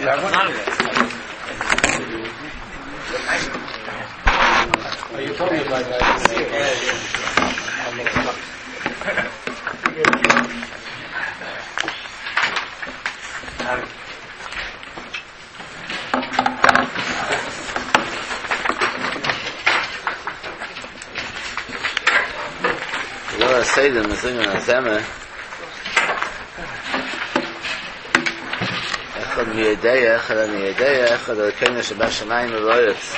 You have one? Oh, you told me about that. Well, I say them, I sing on Zemer. אחד מי יודע, אחד אני יודע, אחד אלוקינו שבשמיים ובארץ.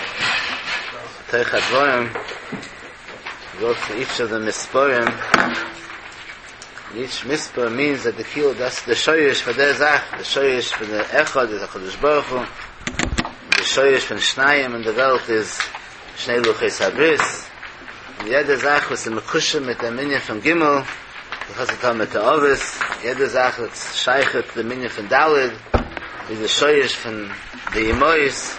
תוך הדבורים, go to each of the misporim. Each mispor means that the kilo, that's the shoyish for their zach, the shoyish for the echad is HaKadosh Baruch Hu, the shoyish for Shnayim in the welt is Shnei Luchos Habris, and jede Zach was the Mekusha mit der Minyan von Gimel, the Chasatam mit der Ovis, jede Zach that's Shaykh to the Minyan von Dalid, is the shoyish von the Imois,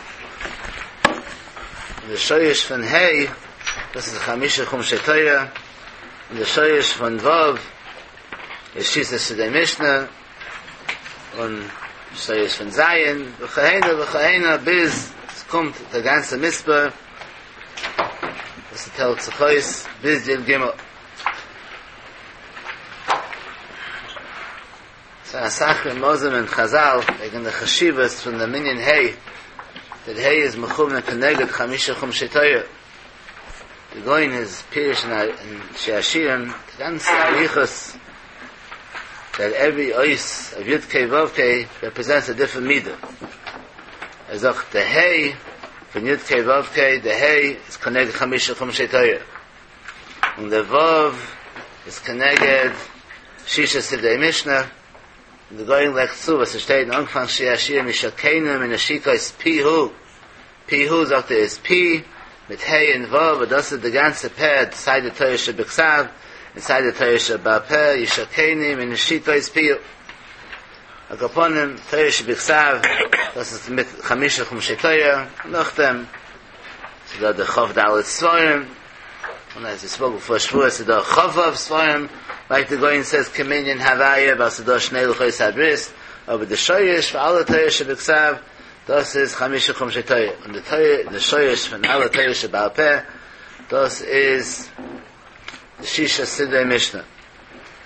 the shoyish von Hey, this is Chamisha Chum Torah, and the shoyish von Vav, is Shisa Sidei Mishnah, und shoyish von Zayin, v'chaheina, v'chaheina, bis, es kommt der ganze Misper, das ist Tel Tzechois, bis Yud Gimel. So Asach and Mozim and Chazal, wegen the Chashivas from the Minyan Hey, that Hey is Mechum and Keneged Chamisha Chum Shetoyer. The going is Pirish and Sheashirim, the ganze Arichos, that every ois of Yud Kei Vav Kei represents a different midah. As auch the Hey from Yud Kei Vav Kei, the Hey is Keneged Chamisha Chum Shetoyer. And the Vav is Keneged Shisha Sidei Mishnah. And the going like zu, was steht in Anfang Shia Mishakenim in Ashika is Pihu. Pihu sagt er is Pi, mit Hey and Vav, but das ist the ganze Peh, side the Torah Shebiksav, inside the Torah Shebapeh, Yishakenim in Ashika is Pihu. Agaponim, Torah Shebiksav, das ist mit Chamisha Chumshei Torah, nach dem, so da der Chav Dalet Svarim, and as we spoke before Shavuos, so da Chavav Svarim, like the Goyen says, Kaminyan Havaya, Basadosh Shnei Luchos Habris, over the Shoyish, for alle Torah Shebiksav, das is Chamisha Chumshei Torah. And the Torah, the Shoyish, for alle Torah Shebal Peh, das is the Shisha Sidrei Mishnah.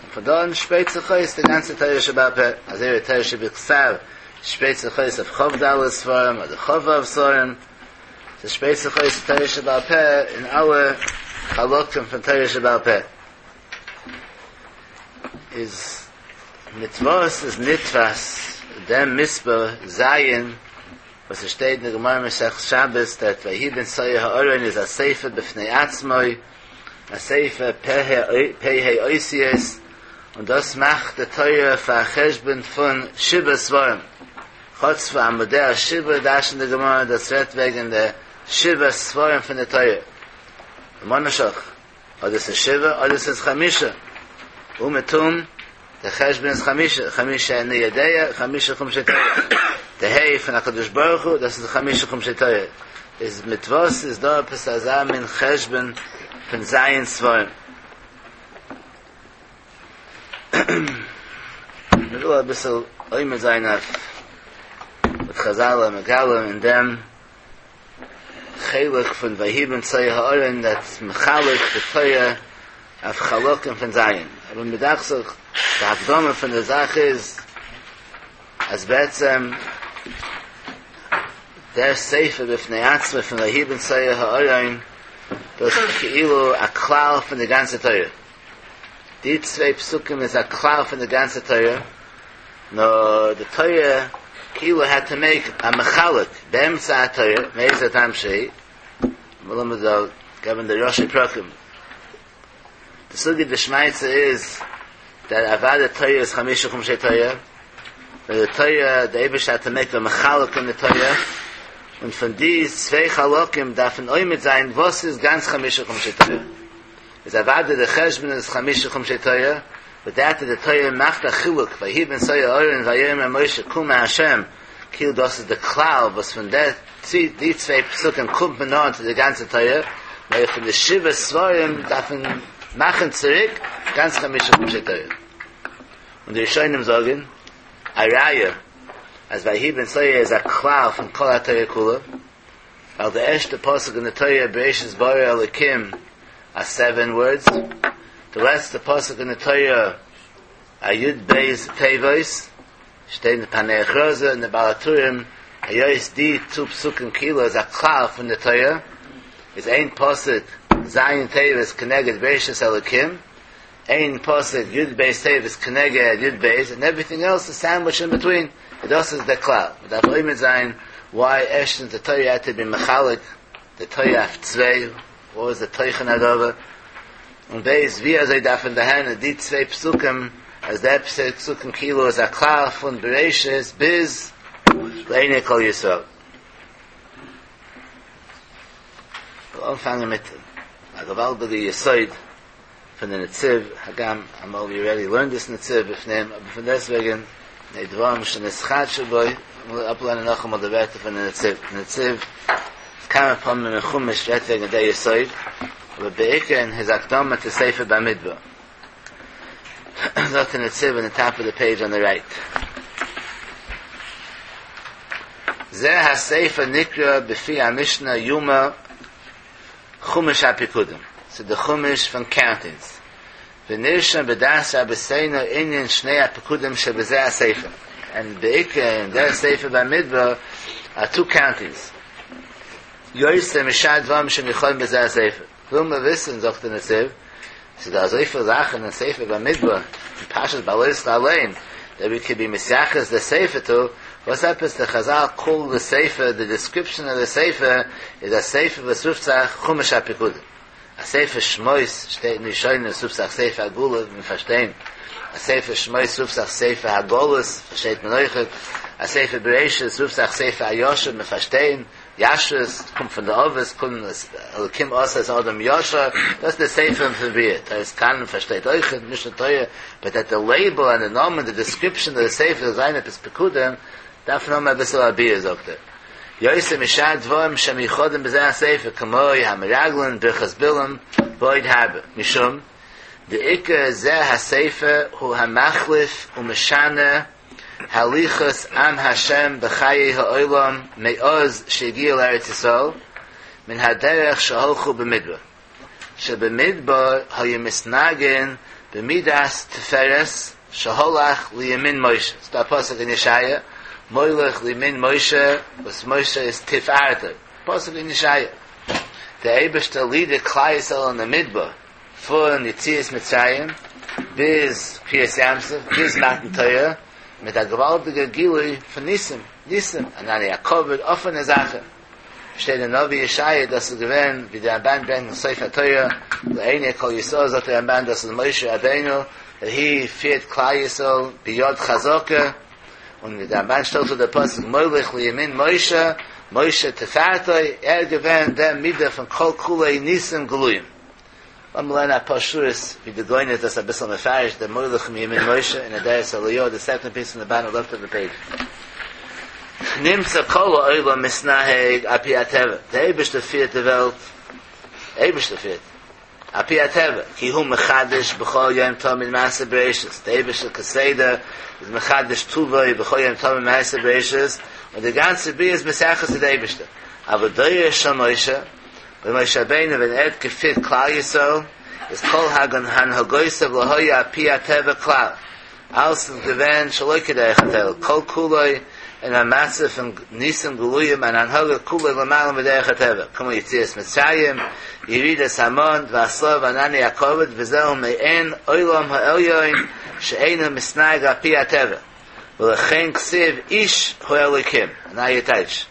Und von dort spricht sich aus die ganze Torah Shebal Peh. Also ihre Torah Shebiksav, spricht sich aus auf Chav Dalet Svarim, oder Chavav Svarim. So spricht sich aus die Torah Shebal Peh in alle Chalokim von Torah Shebal Peh. Is mitzvos is nitvas dem misper zayin was es steht in der Gemara Mesech Shabbos that Vahi ben Soya ha'oren is a sefer b'fnei atzmoi, a sefer pehei oisies, und das macht der Torah für a Cheshbon von Shiva Svarim. Chotz für Amodei Shiva, das in der Gemara, das wird wegen der Shiva Svarim von der Torah. Monashach, oder es ist Shiva, oder es ist Chamisha. Umetum, der Cheshbon ist Chamisha, Chamisha in der Yedeya, Chamisha Chumshei Torah. Der Hey von HaKadosh Baruch Hu, das ist Chamisha Chumshei Torah. Ist mit was ist da etwas azam in Cheshbon von Zayin Svarim. Ich will ein bisschen oimer sein auf mit Chazal und Megalim in dem Chelik von Vahi ben Tzoi ha'oren, that Mechalik, the Torah, auf Chalokim von Zayin. Aber mit Achsach, der Hakdome von der Sache ist, als Betzem, der Sefer b'fnei Atzma von Vahi ben Tzoi ha'oren, das ist Keilu a Klal von der ganzen Torah. Die zwei Psukim is a Klal von der ganzen Torah. No, the Torah, Keilu had to make a Mechalik, Be'emtza HaTorah, Me'ez HaTam Shei, Malum the given the Rosh Prakim. The Sugi D'Shmaitza is that Avada Torah is Chamisha Chumshei Torah, but the Torah, the Eibush had to make a Mechalik in the Torah, und von dies zwei Chalokim darf ein Oimit sein, was ist ganz Chamisha Chumshei Torah. Is Avada the Cheshbon is Chamisha Chumshei Torah, but that the Torah macht a Chiluk, Vahi ben Soya Oren, Vayom Moshe, Kuma Hashem, Kil das ist der Klal, was von der, die zwei Psukim kommt man noch zu der ganzen Torah, weil von der Shiva Svarim darf man machen zurück, ganz Chamisha Chumshei Torah. Und die Rishonim sagen, Araya, אז ויהי בנסוע איז א כלל פון כל התורה כולה, ווייל די ערשטע פסוק אין די תורה בראשית ברא אלקים אר סעווען ווארדס, די לעצטע פסוק אין די תורה אר יוד בית תיבות, שטייט אין פענח רזא און די בעל הטורים, היות די צו פסוקים כאילו איז א כלל פון די תורה, איז איין פסוק ז' תיבות כנגד בראשית אלקים, איין פסוק יוד בית תיבות כנגד יוד בית, און עווריטינג עלס איז סענדוויטשד אין ביטווין, און דאס איז דער כלל, מען דארף עומד זיין וויי ערשטנס די תורה העט טו בי מחלק די תורה אויף צוויי, וואס איז די תוכן הדבר, און ב' ווי אזוי דארף מען דערהערן די צוויי פסוקים אז די צוויי פסוקים כאילו איז א כלל פון בראשית ביז לעיני כל ישראל. כ'וועל אנפאנגען מיט א געוואלדיגע יסוד פון די נציב, הגם אמאל ווי אלרעדי לערנד דיס נציב בפנים, אבער פון דעסטוועגן הנה דברים שנתחדשו בו, לאמיר אפלערנען נאכאמאל די ווערטער פון די נציב, די נציב כמה פעמים אין חומש רעדט וועגן די יסוד, אבער בעיקר אין היז הקדמה צו ספר במדבר. זאגט די נציב אין די טאפ אוו די פעידזש אן די רייט. זה הספר נקרא בפי המשנה יומא חומש הפיקודים, ס'איז די חומש פון קאונטינגס, ונרשם בדעת רבותינו ענין שני הפיקודים שבזה הספר, און בעיקר אין דער ספר במדבר אר טו קאונטינגס, יותר משאר דברים שמיוחדים בזה הספר, וויל מען וויסן זאגט דער נציב, ס'איז דא אזויפיל זאכן אין ספר במדבר, אין פרשת בהעלותך אליין, דעט ווי קען בי מתייחס די ספר טו, וואס עפעס די חזל קאל די ספר, די דיסקריפשאן אוו די ספר איז א ספר וואס רופט זיך חומש הפיקודים. א ספר שמות שטייט אין ראשונים עס רופט זיך ספר הגאולה מיר פארשטיין, א ספר שמות רופט זיך ספר הגלות פארשטייט מען אויכעט, א ספר בראשית רופט זיך ספר הישר מיר פארשטיין, ישרות קומט פון די אבות, קודם אלקים עשה את האדם ישר, דאס איז די ספר פון בריאה, תורת כהנים פארשטייט אויכעט, משנה תורה, באט דעט די לעיבל און די נאמען, די דיסקריפשאן אוו די ספר זאל זיין עפעס פיקודים, דארף מען האבן אביסל א ביאור זאגט ער, יותר משאר דברים שמיוחדים בזה הספר כמו המרגלין, ברכת בלעם, ועוד הרבה, משום דעיקר זה הספר הוא המחליף ומשנה הליכות עם השם בחיי העולם מאז שהגיעו לארץ ישראל מן הדרך שהלכו במדבר שבמדבר היו מתנהגין במידת תפארת שהלך לימין משה, ס'דא א פסוק אין ישעיה מוליך לימין משה וואס משה איז תפארתו, פסוק אין ישעיה, דער אייבערשטער לידט כלל ישראל אין די מדבר פון יציאת מצרים ביז קריעת ים סוף ביז מתן תורה מיט א געוואלדיגע גילוי פון ניסים, ניסים, ענני הכבוד, אפענע זאכן. שטייט אין נביא ישעיה דאס איז געווען ווי דער רמבן ברענגט אין סוף התורה לעיני כל ישראל זאגט דער רמבן דאס איז משה רבינו דעט הי פירט כלל ישראל ביד חזקה און ווי דער רמבן שטעלט צו דער פסוק מוליך לימין משה משה תפארתו ער איז געווען דער מידה פון כל כולו ניסים גלויים לאמיר לערנען אפאר שורות ווי די גאון איז דאס אביסל מפרש דער מוליך מימין משה אין אדרת אליהו די סעקאנד פיס פון די באטאם לעפט אוו די פעידזש. נמצא כל העולם מתנהג על פי הטבע, דער אייבערשטער פירט די וועלט, אייבערשטער פירט, על פי הטבע, כי הוא מחדש בכל יום תמיד מעשה בראשית, דער אייבערשטער כסדר איז מחדש טובו בכל יום תמיד מעשה בראשית, און די גאנצע בריאה איז מתייחס צו די אייבערשטער, אבל דורו של משה, ווען משה רבינו ווען ער האט געפירט כלל ישראל איז כל הנהגותיו לא היו על פי הטבע כלל, אלעס איז געווען שלא כדרך הטבע, כל כולו אין א מצב פון ניסים גלויים אן הנהגה כולו למעלה מדרך הטבע, כמו יציאת מצרים, ירידת המן, והסלמה וענני הכבוד, וזהו מעין עולם העליון שאינו מתנהג על פי הטבע, ולכן כתיב איש האלוקים, א נייע טייטש.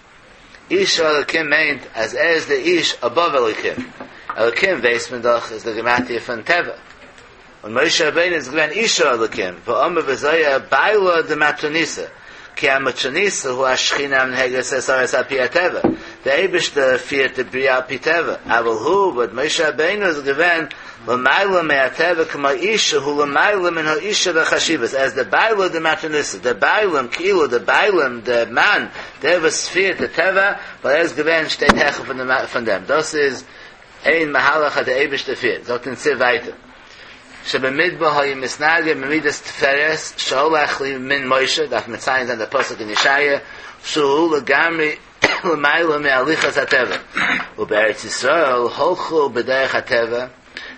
איש האלוקים מיינט אז ער איז די איש אבאוו אלוקים, אלוקים ווייסט מען דאך איז די גימטריא פון טבע, און משה רבינו איז געווען איש האלוקים, ואמר בזוהר בעלה דמטרוניתא, כי המטרוניתא הוא השכינה המנהגת את הארץ על פי הטבע, די אייבערשטער פירט די בריאה על פי טבע, אבל הוא, באט משה רבינו איז געווען למעלה מהטבע כמו איש שהוא למעלה מן האישה בחשיבות, ער איז די בעלה דמטרוניתא, די בעלים, כאילו די בעלים, די מאן, דער וואס פירט די טבע, ווייל ער איז געווען שטייט העכער פון דעם, דאס איז איין מהלך אז דער אייבערשטער פירט, זאגט דער נציב ווייטער. שבמדבר היה מתנהג במידת תפארת שהלך לימין משה, דארף מציין זיין דער פסוק אין ישעיה, שהוא לגמרי למעלה מהליכת הטבע, ובארץ ישראל הלכו בדרך הטבע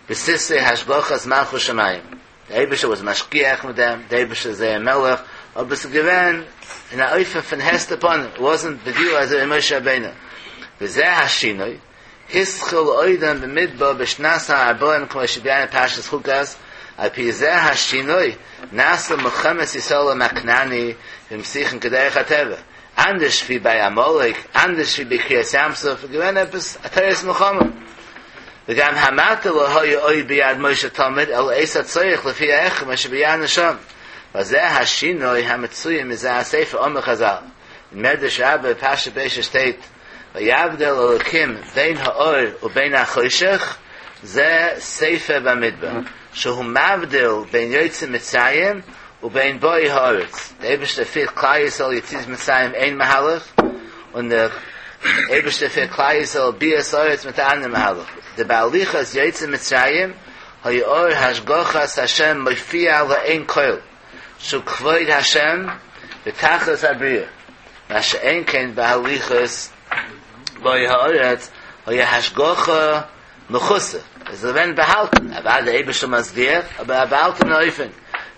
בסתרי השגחת מלכות שמים, דער אייבערשטער וואס משגיח מיט דעם, דער אייבערשטער איז זייער מלך, אבער עס איז געווען אין א אופן פון הסתר פנים, איט וואזענט בגילוי אזוי ווי משה רבינו, וזה השינוי, התחיל אודם במדבר בשנת הארבעים כמו שביארנו פרשת חוקת, על פי זה השינוי נעשה מלחמת ישראל עם הכנעני והמשיכן כדרך הטבע, אנדערש ווי ביי עמלק, אנדערש ווי ביי קריעת ים סוף, איז געווען עפעס א תורת מלחמה. וגם המטה לא היה עוד ביד משה תמיד אלא עת הצורך לפי ההכרח כמו שביארנו שם. וזה השינוי המצוי מזה הספר אמרו חזל. אין מדרש רבה פרשת בראשית שטייט ויבדל אלוקים בין האור ובין החושך זה ספר במדבר שהוא מבדיל בין יוצאי מצרים ובין באי הארץ, דער אייבערשטער פירט כלל ישראל יציאת מצרים איין מהלך, און דער אייבערשטער פירט כלל ישראל ביאת הארץ מיט א אנדער מהלך, דבהליכת יוצאי מצרים היה אור השגחת השם מופיע לעין כל, שהוא כבוד השם בתכלית הבריאה, מה שאין כן בהליכת באי הארץ היה השגחה מכוסה, עס איז געווען באהאלטן, אוודאי דער אייבערשטער משגיח, אבער א באהאלטענע אופן,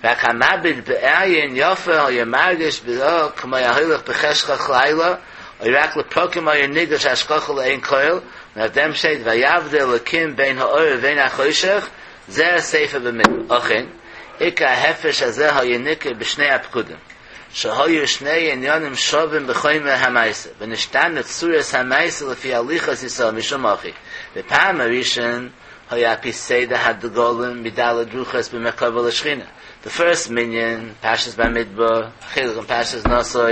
רק המביט בעין יפה היה מרגיש בו כמו ההולך בחשכת לילה, או רק לפרקים היה נרגש השגחה לעין כל, און אויף דעם שטייט ויבדל אלקים בין האור ובין החושך, זה ספר במדבר, אכן, עיקר ההפרש הזה היה ניכר בשני הפקודים, שהיו שני עניינים שווים בחומר המעשה, ונשתנה צורת המעשה לפי הליכות ישראל משום הכי. בפעם הראשון היה על פי סדר הדגלים מד' רוחות במרכבה לשכינה. The first מנין, פרשת במדבר, חלק אין פרשת נשא,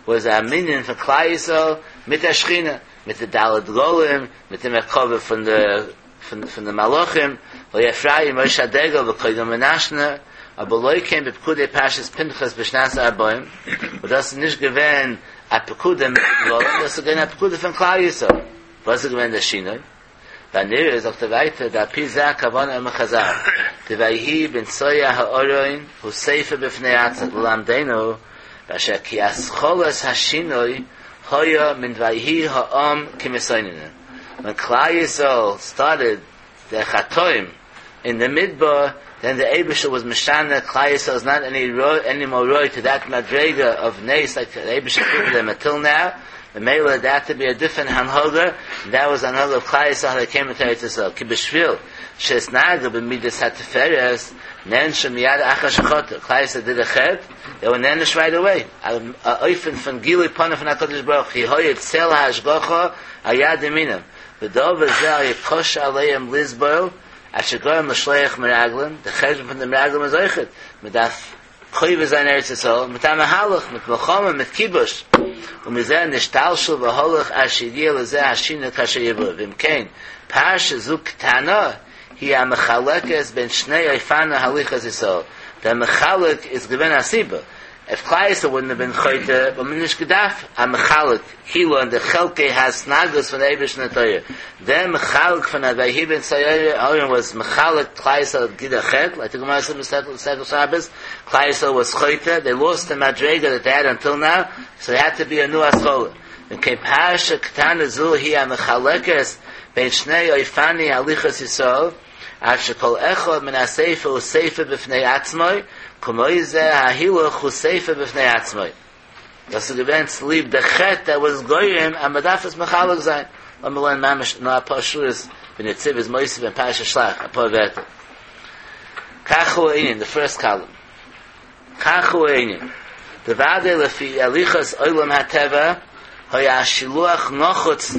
was a מנין פון כלל ישראל מיט דער שכינה, מיט די ד' דגלים, מיט די מרכבה פון די פון די מלאכים, והיה אפרים ראש הדגל וקודם מנשה, אבער לא כן בפקודי פרשת פנחס בשנת הארבעים, וואס דאס איז נישט געווען א פקודה מיט די דגלים, דאס איז געווען א פקודה פון כלל ישראל. וואס איז געווען דער שינוי? והנראה זאגט ער ווייטער דעל פי זה הכוונה אמרו חזל, דויהי בנסוע הארון הוא ספר בפני עצמו ללמדנו באשר כי התחלת השינוי היה מן ויהי העם כמתאוננים. ווען כלל ישראל סטארטעד די חטאים אין די מדבר, דען די אייבישטער וואס משנה כלל ישראל איז נאט עני עני מאר ראוי טו דעט מדריגה אוו נס לייק די אייבישטער פירט דעם אנטיל נאו, ממילא דער העד טו בי א דיפרענט הנהגה, און דעט וואס הנהגה אוו כלל ישראל האו דעי קעים אינטו ארץ ישראל, כי בשביל שאתנהגו במידת התפארת נענשו מיד אחר שחטאו, כלל ישראל דיד א חטא, דעי ווער נענש רייט אוועי, א אופן פון גילוי פנים פון הקדוש ברוך הוא, היה צל ההשגחה על יד ימינם, ודבר זה היה קשה עליהם לסבול, עד שגרם לשלוח מרגלים, די חשבון פון די מרגלים איז אויכעט, מען דארף כובש זיין ארץ ישראל מיט א מהלך, מיט מלחמה, מיט כיבוש, ומזה נשתלשל והלך עד שהגיע לזה השינוי כאשר יבואר, ואם כן, פרשה זו קטנה היא המחלקת בין שני אופני הליכת ישראל, דער מחלק איז געווען א סיבה, איף כלל ישראל וואלדנט האב בין חוטא, וואלט מען נישט געדארפט א מחלק, כאילו אין די חלקי ההתנהגות פון אייבערשטן און תורה, דער מחלק פון א ויהי בנסוע הארון וואס מחלק כלל ישראל דיד א חטא, לייק די גמרא סעז מסכת שבת, כלל ישראל וואס חוטא, דעי לאסט די מדריגה דעט דעי העד אנטיל נאו, סאו דער העד טו בי א ניו התחלה. אם כן פרשה קטנה זו היא המחלקת בין שני אופני הליכות ישראל, עד שכל אחד מן הספר הוא ספר בפני עצמו, כמו זה ההילוך הוא ספר בפני עצמו. דאס איז געווען צוליב די חטא דעט וואס גורם אז מען דארף עס מחלק זיין. לאמיר לערנען ממש נאר אפאר שורות ווי נציב איז מוסיף אין פרשת שלח אפאר ווערטער. כך הוא הענין, די פירסט קאלום. כך הוא הענין. דודאי לפי הליכות עולם הטבע היה השילוח נחוץ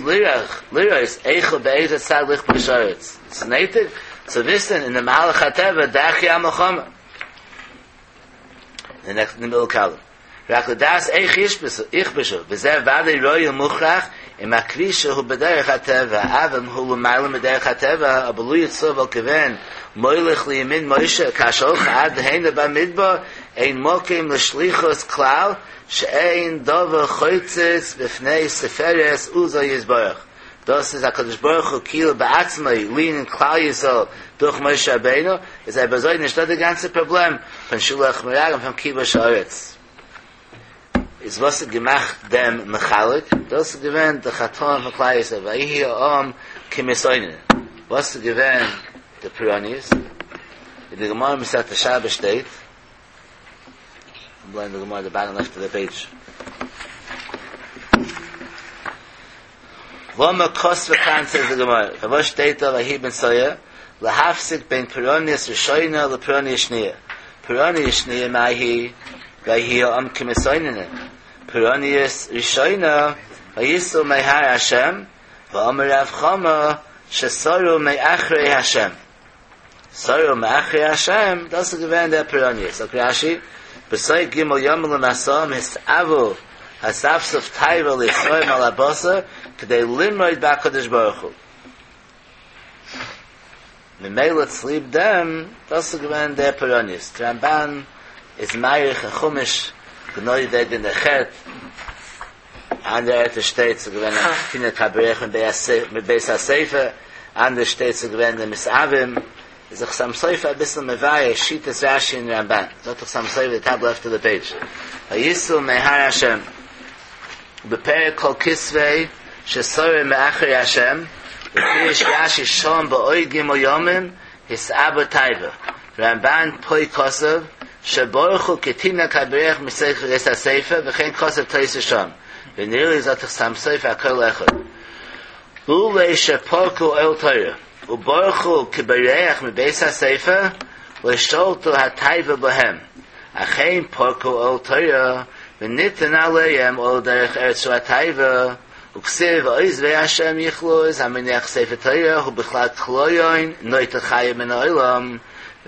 לראות איך ובאיזה צד לכבוש הארץ. ס'איז נויטיג צו וויסן אין די מהלך הטבע דרכי המלחמה. די נעקסט אין די מידל קאלום. רק לדעת איך יכבשו, וזה ודאי ראוי ומוכרח אם הכבישה הוא בדרך הטבע, אבל אם הוא למעלה מדרך הטבע, אבער לו יצוייר וואלט געווען מוליך לימין משה כאשר הלכו עד הנה במדבר, אין מקום לשליחות כלל, שאין דבר חוצץ בפני תפארת עוזו יתברך. דאס איז הקדוש ברוך הוא כאילו בעצמו לענין כלל ישראל דורך משה רבינו, איז אויב אזוי נישטא די גאנצע פראבלעם פון שילוח מרגלים פון כיבוש הארץ. איז וואס האט געמאכט דעם מחלק? דאס איז געווען די חטאים פון כלל ישראל ויהי העם כמתאוננים. וואס איז געווען די פורעניות? אין די גמרא מסכת שבת שטייט, I'm blowing the Gemara the bottom left of the page. למה כתבה כאן says the Gemara. פארוואס שטייט דא ויהי בנסוע להפסיק בין פורעניות ראשונה לפורעניות שניה. פורעניות שניה מאי היא ויהי העם כמתאוננים. פורעניות ראשונה ויסעו מהר השם ואמר רב חמא שסרו מאחרי השם. סרו מאחרי השם, דאס איז געווען דער פורעניות. זאגט רש"י, בתוך ג' ימים למסעם התאוו האספסוף תאווה לישראל מעל הבשר כדי למרוד בהקדוש ברוך הוא. ממילא צוליב דעם, דאס איז געווען דער פורעניות. דער רמב"ן איז מאריך אין חומש גענוי וועגן דער חטא, אנדערע ערטער שטייט ס'איז געווען א כתינק הבורח מבית הספר, אנדערש שטייט ס'איז געווען די מתאווים, איז דער חתם סופר אביסל מבאר שיטת רש"י און רמב"ן, זאגט דער חתם סופר די טאפ לעפט אוו די פעידזש, ויסעו מהר השם, ובפרק כל כתבי שסרו מאחרי השם, ופירש רש"י שם בעוד ג' ימים התאוו תאווה, רמב"ן פה כתב שברחו כתינוק הבורח מתוך בית הספר וכן כתב תוס' שם, ונראה לי זאגט דער חתם סופר הכל אחד. לולא שפרקו עול תורה וברחו כבורח מבית הספר לא שלטו התאווה בהם, אכן פרקו עול תורה וניתן עליהם עול דרך ארץ שהוא התאווה, וכתיב עוזבי השם יכלו איז המניח ספר תורה הוא בכלל כליון נוטל חייו מן העולם,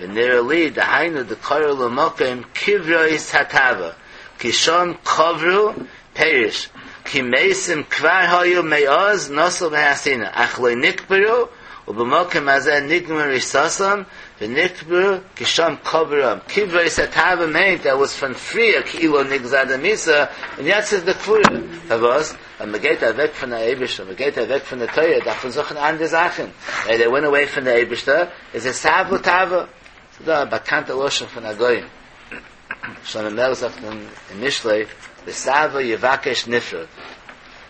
ונראה לי דהיינו דקרו למקום קברות התאווה כי שם קברו פירוש כי מתים כבר היו מאז נסעו מהר סיני אך לא נקברו ובמקום הזה נגמרה ריסתם ונקברו כי שם קברו קברות התאווה מיינט ער וואס פון פריער כאילו נגזר די מיתה און יעצט איז די קבורה פארוואס ווען מען גייט אוועק פון די אייבערשטער מען גייט אוועק פון די תורה דארף מען זוכן אנדערע זאכן they went away פון די אייבערשטער איז התאוו תאווה ס'איז דא א באקאנטע לשון פון א גאון שלמה המלך זאגט אין משלי לתאוה יבקש נפרד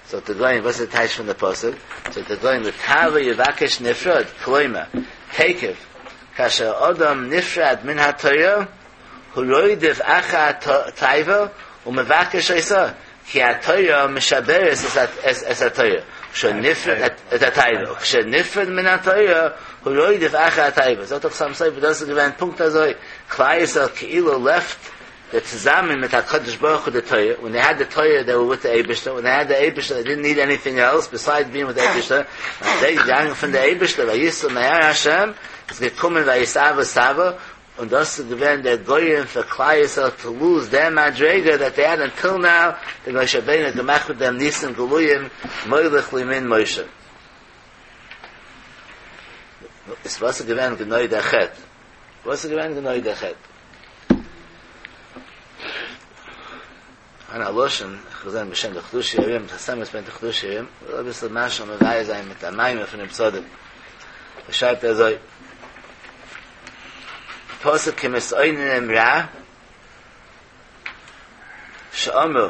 זאגט דער גאון וואס איז די טייטש פון די פסוק זאגט דער גאון לתאוה יבקש נפרד כלומר תיכף כאשר אדם נפרד מן התורה הוא רודף אחר התאווה ומבקש אותה כי התורה משברת את התורה כשנפרד את התאווה כשנפרד מן התורה הוא רודף אחר התאווה זאגט דער חתם סופר דאס איז געווען פונקט אזוי כלל ישראל כאילו לעפט די צוזאמען מיט הקדוש ברוך הוא די תורה when they had the Torah they were with the אייבערשטער when they had the אייבערשטער they didn't need anything else besides being with the אייבערשטער זיי געגאנגען פון די אייבערשטער ויסעו מהר השם איז געקומען ויתאוו תאווה און דאס איז געווען דער גורם פאר כלל ישראל to lose דער מדריגה that they had until now, דער משה רבינו האט געמאכט מיט דעם ניסים גלויים מוליך לימין משה. איז וואס איז געווען גענוי דער חטא? וואס איז געווען גענוי דער חטא? אן א לשון, איך האב געזען בשם די חידושי הרי"ם, שפת אמת ברענגט די חידושי הרי"ם, וויל אביסל משל מבאר זיין מיט א מאמר פון רב צדוק. ער שרייבט אזוי, פסוק כמתאוננים רע, שאמרו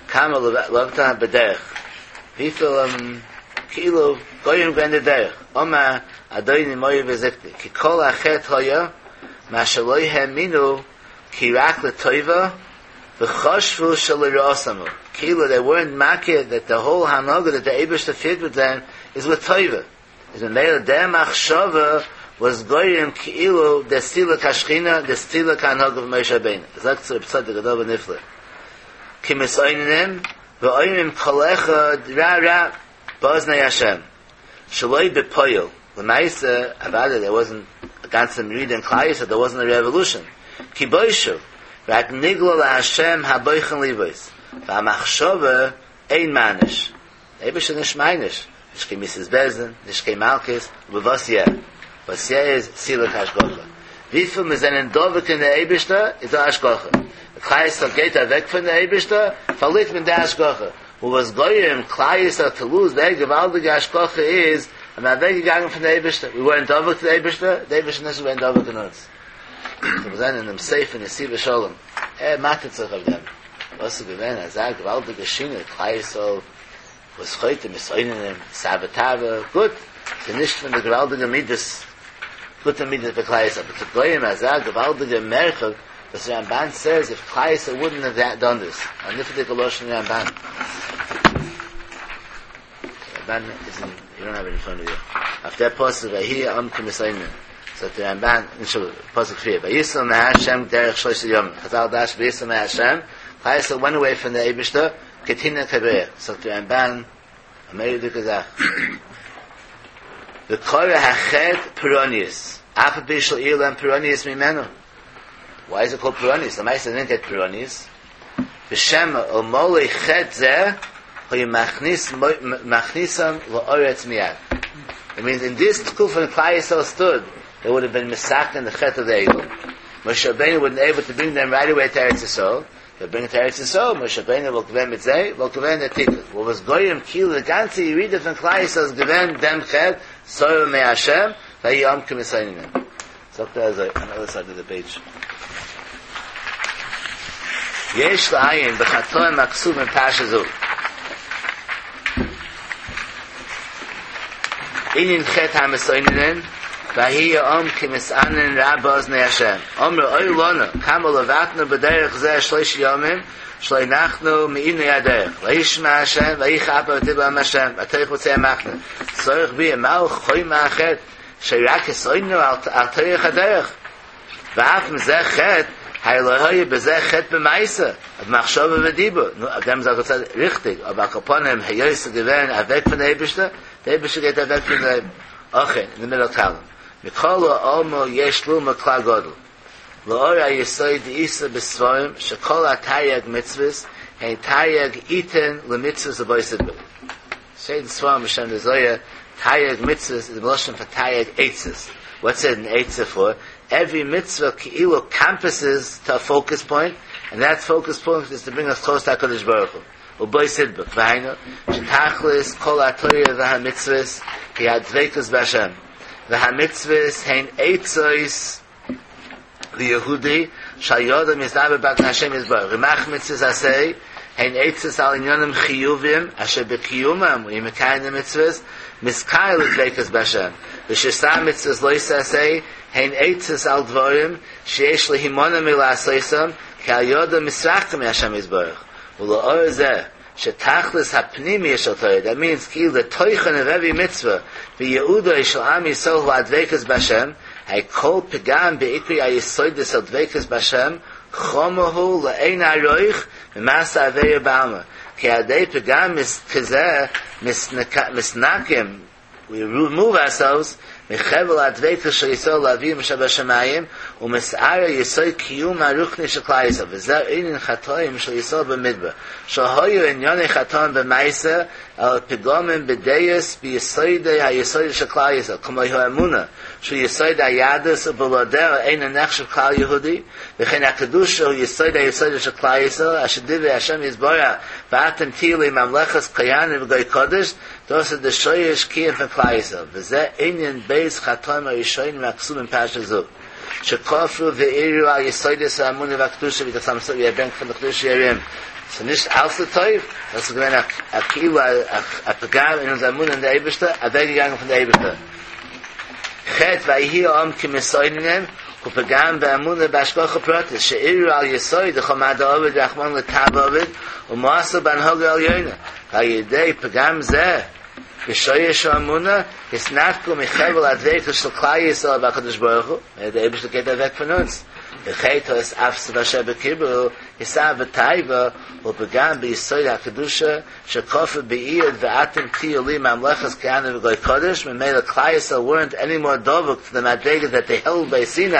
כמה לבטן בדרך, וויפיל כאילו גורם געווען די דרך, אמר אדוני מורי וזקני, כי כל החטא היה מה שלא האמינו כי רק לטובה וחשבו שלרעתם הוא, כאילו they weren't מכיר that the whole הנהגה that the אייבערשטער פירט מיט זיי איז לטובה, איז ממילא דער מחשבה וואס גורם כאילו די סילוק השכינה, די סילוק ההנהגה פון משה רבינו, זאגט רב צדוק א דבר נפלא, כמתאוננים ואומרים כל אחד רע רע באזני השם, שלא בפועל, למעשה, אוודאי there wasn't א גאנצע מרידה אין כלל ישראל, there wasn't a revolution, כי בושו, רק נגלה להשם הבוחן לבות, והמחשבה אין מעניש, דער אייבערשטער איז נישט מעניש, נישט קיין מיתת בית דין, נישט קיין מלקות, אבער וואס יא? וואס יא איז סילוק השגחה. וויפיל מיר זענען דבוק אין דער אייבערשטער איז דא השגחה. ווען כלל ישראל גייט אוועק פון דער אייבערשטער פארלירט מען די השגחה. און וואס גורם כלל ישראל טו לוז דער געוואלדיגע השגחה איז אז מ'איז אוועק געגאנגען פון די אייבערשטער, ווי ווערנט דבוק צו די אייבערשטער, די אייבערשטער איז נישט געווען דבוק אין אונז. סאו מיר זעען אינעם ספר נתיבות שלום, ער מאטערט זיך אויף דעם, וואס איז געווען אזא געוואלדיגע שינוי, כלל ישראל וואס חוטא מתאוננים, סאווע תאווה, גוט, ס'איז נישט פון די געוואלדיגע מידות, גוטע מידות ביי כלל ישראל, אבער צו גורם אזא געוואלדיגע מרחק, וואס רמבן סעז איף כלל ישראל וואודנט האוו דאן דיס, א נפלא'דיגע לשון אין רמבן. רמבן איז אין, יו דאנט האוו איט אין פראנט אוו יו. אויף דער פסוק ויהי העם כמתאוננים, זאגט דער רמבן, נישט פסוק פריער, ויסעו מהשם דרך שלשה ימים, חזל דרש'ן ויסעו מהשם, כלל ישראל ווענט אוועי פון די אייבישטער, כטינא כברך, זאגט דער רמבן, א מורא'דיגע זאך. וקרא החטא פורעניות, אף על פי שלא אירע להם פורעניות ממנו. Why is it called פורעניות? למעשה they didn't get פורעניות. ושמא אלמלא חטא זה היה מכניס מכניסם לארץ מיד. It means in this תקופה when כלל ישראל stood, they would have been מתקן the חטא of the עגל. משה רבינו wouldn't able to bring them right away to ארץ ישראל. They bring to ארץ ישראל, משה רבינו וואלט געווען מיט זיי, וואלט געווען דער תיקון. וואס וואס גורם כאילו די גאנצע ירידה פון כלל ישראל איז געווען דעם חטא, סרו מהשם, ויהי העם כמתאוננים. זאגט ער אזוי, אן אדער סייד אוו די פעידזש. יש לעיין בחטאים הכתובים בפרשה זו. ענין חטא המתאוננים, ויהי העם כמתאנן רע באזני השם, אמרו אוי לנו כמה לבטנו בדרך זה שלשה ימים שלא נחנו מעינוי הדרך, וישמע השם ויחר אפם ותדבר עם השם ותלך בצא המחנה, צריך ביאור מהו חומר החטא שרק התאוננו על תורך הדרך, ואף אם זה חטא, הרי לא היה בזה חטא במעשה, במחשבה ודיבור, נו, אויף דעם זאגט ער ריכטיג, אבער על כל פנים, היות ס'איז געווען אוועק פון די אייבערשטער, די אייבערשטער גייט אוועק פון זיי, אכן, אין די מידל קאלום, מכל האמור יש ללמוד כלל גדול, לאור היסוד דאיתא בספרים שכל התרי"ג מצוות הן תרי"ג עיתין למצוות ובו סדרה. שטייט אין ספרים בשם די זוהר, תרי"ג מצוות איז מלשון פאר תרי"ג עצות, וואטס איט אן עצה פאר? עווערי מצוה כאילו קאמפעסעס טו א פאוקעס פוינט, ענד דעט פאוקעס פוינט איז טו ברינג אס קלאוס טו הקדוש ברוך הוא, ובו תדבק, והיינו, שתכלית כל התורה והמצוות היא הדביקות בהשם, והמצוות הן עצות ליהודי שעל ידם יתדבק בהשם יתברך, רמ"ח מצוות עשה הן עצות על עניינים חיוביים אשר בקיומם ומקיים די מצוות מתקרב לדביקות בהשם, ושס"ה מצוות לא תעשה הן עצות על דברים שיש להימנע מלעשותם כי על ידם מתרחקים מהשם יתברך, ולאור זה שתכלית הפנימיות של תורה, that means כאילו די תוכן of every מצוה ויעודו של עם ישראל הוא הדביקות בהשם, האי כל פגם בעיקרי היסודות של דביקות בהשם חמור הוא לאין ערוך ממעשה עבירה בעלמא, כי על ידי פגם כזה מתנקים we remove ourselves מחבל הדביקות של ישראל לאביהם שבשמים ומתערער יסוד קיום הרוחני של כלל ישראל וזה ענין חטאים של ישראל במדבר שהיו ענייני חטאים במעשה אלא פגמים בדעות ביסודי היסוד של כלל ישראל כמו האמונה שהוא יסוד היהדות ובלעדיה אינו נחשב כלל יהודי וכן הקדושה הוא יסוד היסוד של כלל ישראל אשר דיבר השם יתברך ואתם תהיו לי ממלכת כהנים וגוי קדוש דאס איז די שורש קיום פון כלל ישראל, וזה ענין ב' חטאים הראשונים הכתובים בפרשה זו, שכפרו וערערו על יסודות האמונה והקדושה ווי די חתם סופר ברענגט פון די חידושי הרי"ם, ס'איז נישט אלץ לטוב, דאס איז געווען א כאילו א פגם אין אונזער אמונה אין די אייבערשטער, אוועקגעגאנגען פון די אייבערשטער. חטא ויהי העם כמתאוננים הוא פגם באמונה בהשגחה פרטית שערערו על יסוד דכל מה דעביד רחמנא לטב עביד ומאסו בהנהגה עליונה ועל ידי פגם זה בשורש האמונה התנתקו מחבל הדביקות של כלל ישראל בהקדוש ברוך הוא, דער אייבערשטער גייט אוועק פון אונז, וחטא האתאפסוף אשר בקרבו התאווה תאווה הוא פגם ביסוד הקדושה שכפר ביעוד ואתם תהיו לי ממלכת כהנים וגוי קדוש, ממילא כלל ישראל weren't any more דבוק to the מדרגה that they held by סיני,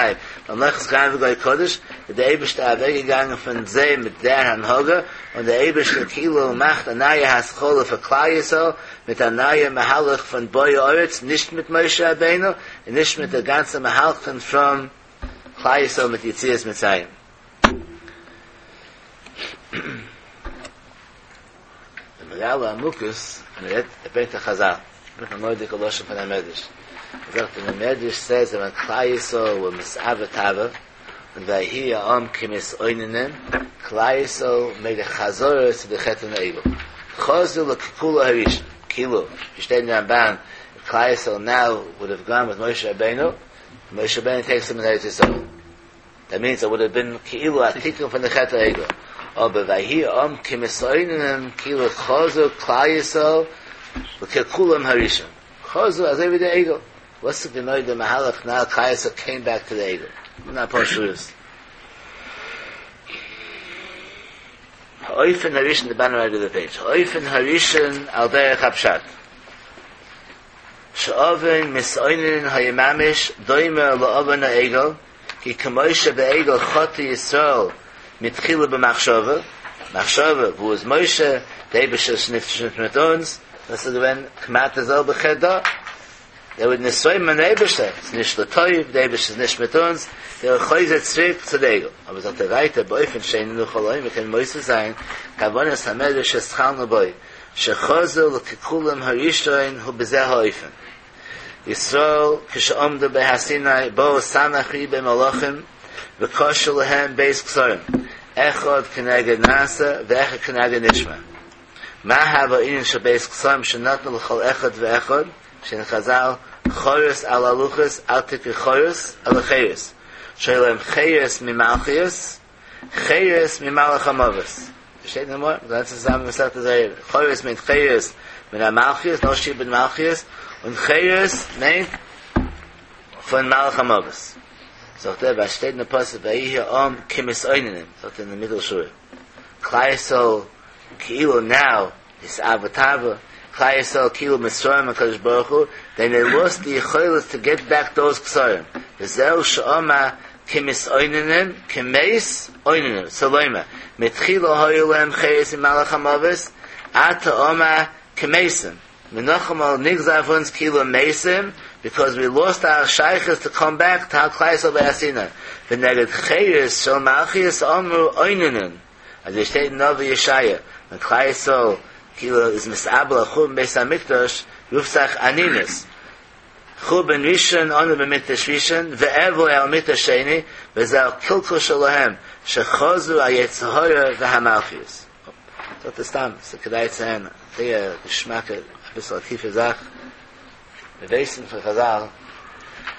ממלכת כהנים וגוי קדוש, איז דער אייבערשטער אוועקגעגאנגען פון זיי מיט דער הנהגה, און דער אייבערשטער כאילו מאכט א נייע התחלה פאר כלל ישראל מיט א נייע מהלך פון בואה ארץ, נישט מיט משה רבינו, און נישט מיט די גאנצע מהלך פון כלל ישראל מיט יציאת מצרים. די מגלה עמוקות און ער רעדט ער ברענגט א חזל, ער ברענגט א מורא'דיגע לשון פון א מדרש, ער זאגט אין די מדרש סעז ווען כלל ישראל ווער מתאוה תאווה און ויהי העם כמתאוננים, כלל ישראל מעיד א חזרה צו די חטא פון די עגל, חזרו לקלקולו הראשון, כאילו ווי שטייט אין רמבן איף כלל ישראל נאו וואוד האוו גאן וויט משה רבינו, משה רבינו טעיקס דעם אין ארץ ישראל. דעט מינס איט וואוד האוו בין כאילו א תיקון פון די חטא העגל, אבער ויהי העם כמתאוננים כאילו חזרו כלל ישראל לקלקולם הראשון, חזרו אזוי ווי די עגל, וואס איז גענוי די מהלך נאו כלל ישראל קעים בעק טו די עגל? נאר אפאר שורות. האופן הראשון די באטאם רייט אוו די פעידזש, האופן הראשון על דרך הפשט. שעוון מתאוננין היה ממש דומה לעוון העגל, כי כמו שבעגל חטא ישראל מתחילה במחשבה, מחשבה, וואו איז משה, די אייבערשטער איז נישט מיט אונז, דאס איז געווען כמעט די זעלבע חטא דא, זיי ווערן נתרומם אין אייבערשטער, ס'איז נישט לטוב, די אייבערשטער איז נישט מיט אונז, זיי ווערן חוזר צוריק צו די עגל. אבער זאגט ער ווייטער באופן שני נוכל לומר, מ'קען מוסיף זיין כוונת המדרש שהתחלנו בו, שחזרו לקלקולם הראשון הוא בזה האופן. ישראל כשעמדו בהר סיני באו סמך ריבוא מלאכים וקשו להם ב' כתרים אחד כנגד נעשה ואחד כנגד נשמע. מה הוה ענין של ב' כתרים שנתנו לכל אחד ואחד שאין חזל חרות על הלוחות אל תקרי חרות אלא חירות שהיה להם חירות ממלכיות חירות ממלאך המוות. שטייט אין גמרא, גאנץ צוזאמען מסכת זייער. חירות מיינט חירות מן המלכיות, נאר שעבוד מלכיות, און חירות מיינט פון מלאך המוות. זאגט ער, וואס שטייט אין די פסוק ויהי העם כמתאוננים, זאגט ער אין די מיטל שורה, כלל ישראל כאילו נאו נתאוו תאווה, כלל ישראל כאילו מתרומם הקדוש ברוך הוא, דען דעי לאסט די יכולת טו געט בעק דאוז כתרים, וזהו שאמר כמתאוננים, כמת אוננים, רוצה לומר, מתחילה היו להם חירות ממלאך המוות, עתה אמר כמתים, נאכאמאל נגזר אויף אונז כאילו מתים, ביקאוז ווי לאסט אר שייכות טו קאם בעק טו כלל ישראל בהר סיני, ונגד חירות של מלכיות אמרו אוננין. אזוי שטייט אין נביא ישעיה, ווען כלל ישראל כאילו איז מתאבל על חורבן בית המקדש, רופט זיך אנינות, חורבן ראשון אנו במקדש ראשון, ואבוא על מקדש שני, וזה הקלקול שלהם, שחזרו היצר הרע והמלכיות. זאגט ער סתם, ס'איז כדאי צו הערן, זייער געשמאקע, אביסל א טיפע זאך, מיר ווייסן פון חזל,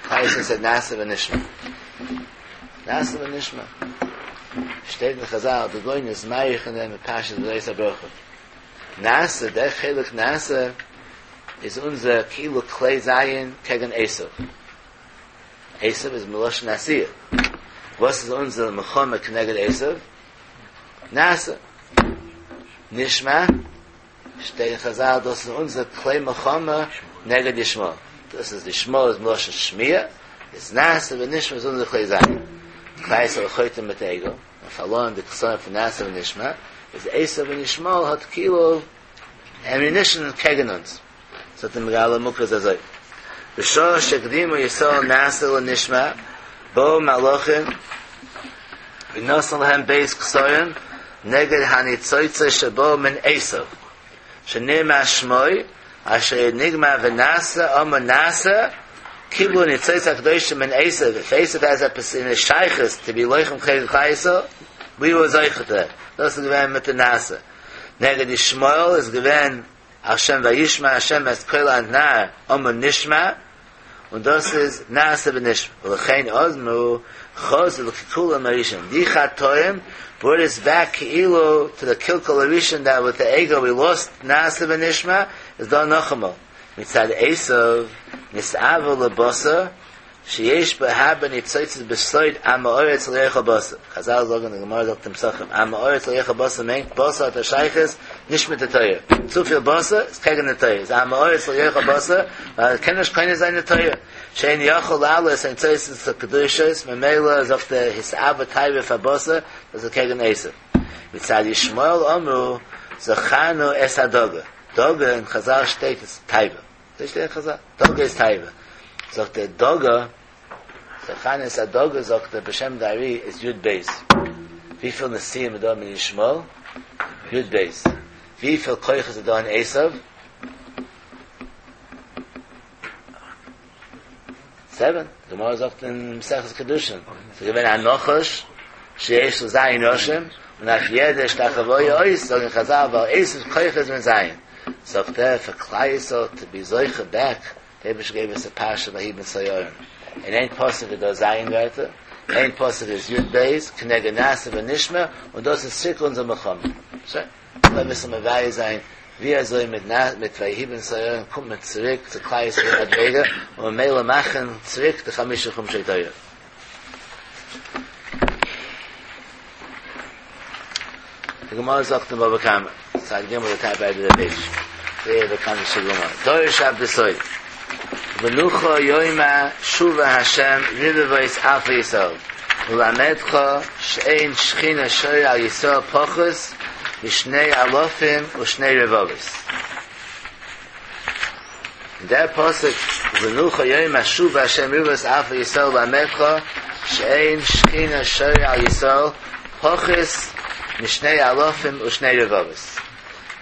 כלל ישראל סעד נעשה ונשמע. נעשה ונשמע. שטייט אין חזל, די גאון איז מאריך אין דעם אין פרשת וזאת הברכה. נעשה, דער חלק נעשה, איז אונזער כאילו כלי זיין קעגן עשו. עשו איז מלשון עשיה. וואס איז אונזער מלחמה כנגד עשו? נעשה. נשמע. שטייט אין חזל דאס איז אונזער כלי מלחמה נגד ישמעאל, דאס איז ישמעאל איז מלשון שמיעה, איז נעשה ונשמע איז אונזער כלי זיין, כלל ישראל חוטא מיט עגל, און פארלוירן די כתרים פון נעשה ונשמע, איז עשו און ישמעאל האט כאילו עמיונישן קעגן אונז, זאגט די מגלה עמוקות אזוי, בשעה שהקדימו ישראל נעשה לנשמע, באו מלאכים ונתנו להם ב' כתרים נגד הניצוצות שבאו מן עשו, שנאמר שמו, אשר נגמר ונעשה אמר נעשה, קיבלו ניצוצות הקדושה מן עשו, איף עשו העז עפעס אין די שייכות טו בי לוחם כנגד כלל ישראל, ווי ווער זוכה טו דעט, דאס איז געווען מיט די נעשה. נגד ישמעאל איז געווען על שם וישמע השם את קול הנער אמר נשמע, און דאס איז נעשה ונשמע, ולכן אמרו חזרו לקלקולם הראשון, די חטאים ברוט אס בעק כאילו טו די קלקול הראשון דעט וויט די עגל ווי לאסט נעשה ונשמע, איז דא נאכאמאל מצד עשיו נתאוה לבשר שיש בו הרבה ניצוצות בסוד עם הארץ לא יאכל בשר, חזל זאגן די גמרא זאגט אין פסחים עם הארץ לא יאכל בשר מיינט בשר האט א שייכות נישט מיט די תורה, צופיל בשר איז קעגן די תורה, איז עם הארץ לא יאכל בשר ווייל ער קען נישט קונה זיין די תורה, שאין יכול להעלות הניצוצות הקדושות, ממילא זאגט ער התאווה תאווה פאר בשר, דאס איז קעגן עשו. מצד ישמעאל אמרו זכרנו את הדגה, דגה אין חזל שטייט איז תאווה. אזוי שטייט אין חזל, דגה איז תאווה. זאגט ער דגה, זכרנו את הדגה זאגט ער בשם די ארי איז יוד בית. וויפיל נשיאים איז דא מן ישמעאל? יוד בית. וויפיל כוחות איז דא אין עשיו? סעווען. די גמרא זאגט אין מסכת קידושין, ס'איז געווען א נחש שיש לו זיין ראשים, און אויף יעדע השתחוואה אות זאגן חזל ווייל עשיו'ס כוחות זענען זיין. זאגט ער פאר כלל ישראל טו בי זוכה בעק, די אייבערשטער געב אונז די פרשה ויהי בנסוע הארון. אין איין פסוק איז דא זיין ווערטער, איין פסוק איז יוד בית, כנגד נעשה ונשמע, און דאס איז צוריק אונזער מלחמה. שוין. כ'וויל אביסל מבאר זיין ווי אזוי מיט מיט ויהי בנסוע הארון קומט מען צוריק צו כלל ישראל מדריגה און ממילא מאכן צוריק די חמשה חומשי תורה. די גמרא זאגט אין בבא קמא, צד ג' די טאפ ענד אוו די פעידזש, זייער באקאנטע שטיקל גמרא, דרש עבדתו ובנוחה יאמר שובה ה' רבבות אלפי ישראל ללמדך שאין שכינה שורה על ישראל פחות משני אלפים ושני רבבות. אין דער פסוק ובנוחה יאמר שובה ה' רבבות אלפי ישראל ללמדך שאין שכינה שורה על ישראל פחות משני אלפים ושני רבבות.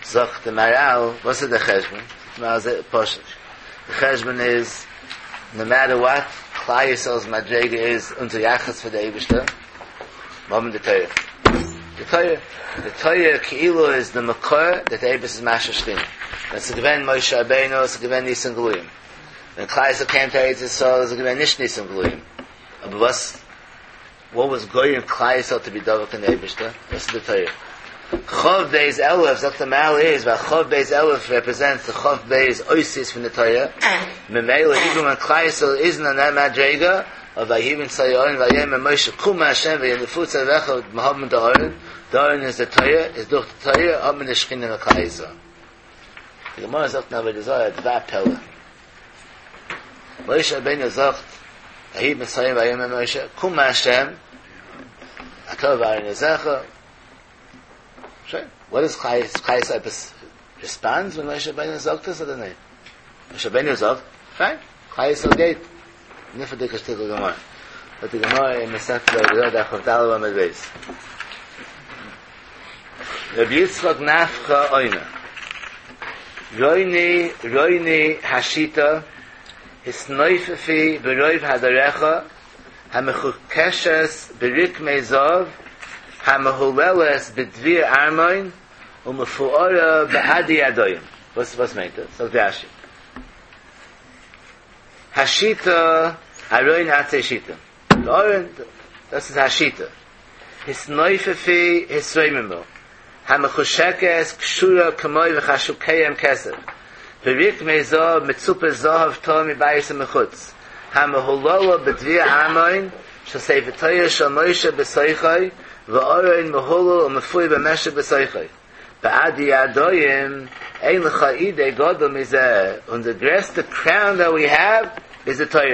זאגט די מהרל, וואס איז דער חשבון? זאגט די מהרל זייער פשוט, די חשבון איז, נאו מעטער וואט, כלל ישראל'ס מדריגה איז אונזער יחס פאר די אייבערשטער, מיר האבן די תורה. די תורה, די תורה כאילו איז די מקור דעט די אייבערשטער איז משרה שכינה. ווען ס'איז געווען משה רבינו איז געווען ניסים גלויים. ווען כלל ישראל קעם טו ארץ ישראל איז געווען נישט ניסים גלויים. אבער וואס וואט וואס גורם כלל ישראל טו בי דבוק אין די אייבערשטער? דאס איז די תורה. כף בית אלף זאגט די מהרל איז ווייל כף בית אלף רעפרעזענטס די כף בית אותיות פון די תורה, ממילא איווען ווען כלל ישראל איזנט אין דעט מדריגה, אבער ויהי בנסוע הארון ויאמר משה קום ה' וינפוץ אויביך מיר האבן די ארון, די ארון איז די תורה, איז דורך די תורה האט מען די שכינה אין כלל ישראל. די גמרא זאגט אין עבודה זרה דבר פלא. משה רבינו זאגט, ויהי בנסוע הארון ויאמר משה, קום ה', אתה ואהרן עוזרך. שוין, וואט איז כלל ישראל עפעס ריספאנדס ווען משה רבינו זאגט עס אדער ניין? משה רבינו זאגט, פיין, כלל ישראל גייט. נפלא'דיגע שטיקל גמרא. זאגט די גמרא אין מסכת עבודה זרה דף כ"ד עמוד ב'. רבי יצחק נפחא אומר, רוני רוני השיטה התנופפי ברוב הדרך המחוכשת ברקמי זהב המהוללת בדביר ארמון ומפוארה בעדי עדיים. וואס וואס מיינט דאס? זאגט רשי. השיטה ארון עצי שיטים. די ארון, דאס איז השיטה. התנופפי התרוממו, המחושקת קשורה כמו וחשוקיהם כסף, ברקמי זהב מצופה זהב טהור מבית ומחוץ, המהוללה בדביר ארמון של ספר תורה של משה בתוכו, וארון מהולל ומפואר במשק בתוכו. בעדי עדיים, אין לך עידו גדול מזה, און די גרעסטע קראון דעט ווי העוו איז די תורה,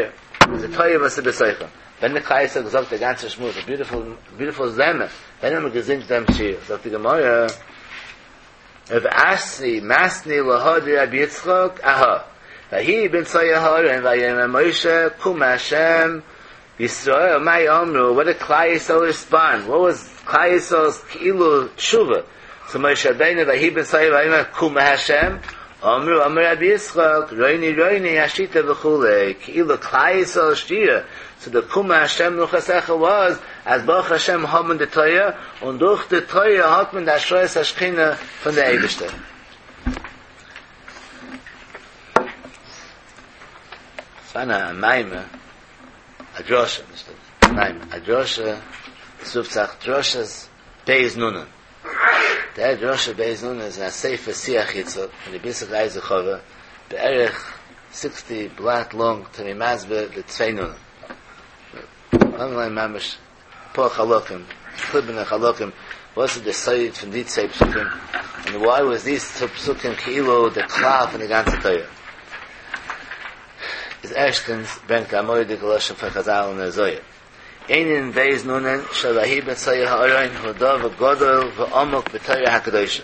איז די תורה וואס איז בתוכו. ווען די כלל ישראל געזאגט די גאנצע שמועס, א ביוטיפול ביוטיפול זמר, ווען האט מען געזינגט דעם שיר? זאגט די גמרא, רב אסי מתני להא דרבי יצחק אהא, ויהי בנסוע הארון ויאמר משה קום ה' ישראל מה אמרו, וואט דיד כלל ישראל ריספאנד, וואט וואס כלל ישראל'ס כאילו תשובה צו משה רבינו ויהי בנסוע ויאמר קום ה', אמרו אמר רבי יצחק רוני רוני השיטה וכו', כאילו כלל ישראל'ס שירה צו די קום ה' מנוחתך וואס אז ברוך השם האבן די תורה, און דורך די תורה האט מען די השראת השכינה פון די אייבערשטער. ס'פארהאן א מאמר. א דרשה, נישט א מאמר, א דרשה, עס רופט זיך דרשת בית נונן. דער דרשה בית נונן איז אין א ספר שיח יצחק פון רבי יצחק אייזיק חבר, בערך סיקסטי בלאט לאנג טו בי מסביר די צוויי נונען. לאמיר ליינען ממש אפאר חלקים, געקליבענע חלקים, וואס איז די סוד פון די צוויי פסוקים, און וויי וואס דיס טו פסוקים כאילו די כלל פון די גאנצע תורה. איז ערשטענס ברענגט א מורא'דיגע לשון פון חזל אין דער זוהר, ענין בית נונן של ויהי בנסוע הארון הוא דבר גדול ועמוק בתורה הקדושה,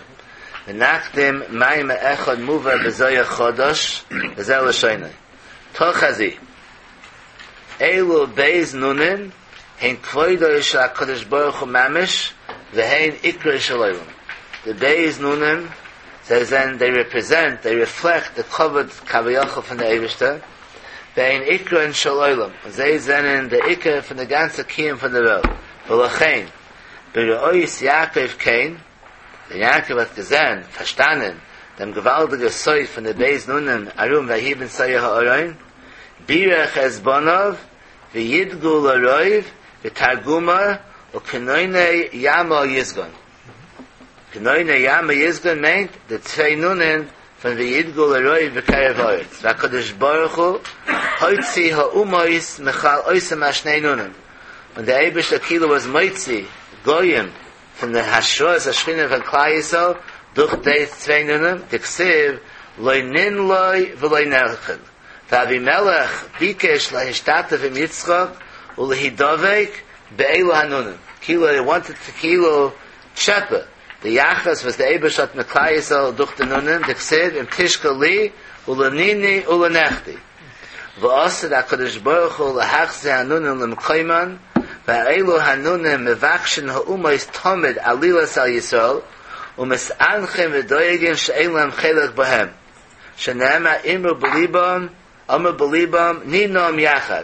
ונקדים מאמר אחד מובא בזוהר חדש וזה לשונו, תא חזי, אלו בית נונין הן כבודו של הקדוש ברוך הוא ממש והן עיקרו של עולם. די בית נונין. זיי זענען, דעי רעפרעזענט, דעי רעפלעקט די כבוד כביכול פון די אייבערשטער, והן עיקרן של עולם, און זיי זענען די עיקר פון די גאנצע קיום פון די וועלט, ולכן, בראות יעקב כן, ווען יעקב האט געזען, פארשטאנען, דעם געוואלדיגע סוד פון די בית נונים ארום ויהי בנסוע הארון, בירך את בניו וידגו לרוב ותרגומו וכנוני ימא יסגון. כנוני ימא יסגון מיינט די צוויי נונען פון וידגו לרוב בקרב הארץ, והקדוש ברוך הוא הוציא האומות מכלל אותם השני נונים, און דער אייבערשטער כאילו איז מוציא גויים פון די השראת השכינה פון כלל ישראל דורך די צוויי נונים, דכתיב לא ננלא ולא נכד, ואבימלך ביקש להשתתף עם יצחק ולהידבק באלו הנונים, כאילו הי וואנטעד טו כאילו טשעפע די יחס וואס די אייבערשטער האט מיט כלל ישראל דורך די נונים, דכתיב אם תשכח לי ולניני ולנכדי. ועתיד הקדוש ברוך הוא להחזיר הנונים למקומן, ואלו הנונים מבקשין האומות תמיד עלילות על ישראל, ומתאנחין ודואגין שאין להם חלק בהם, שנאמר אמרו בלבם אמרו בלבם נינם יחד,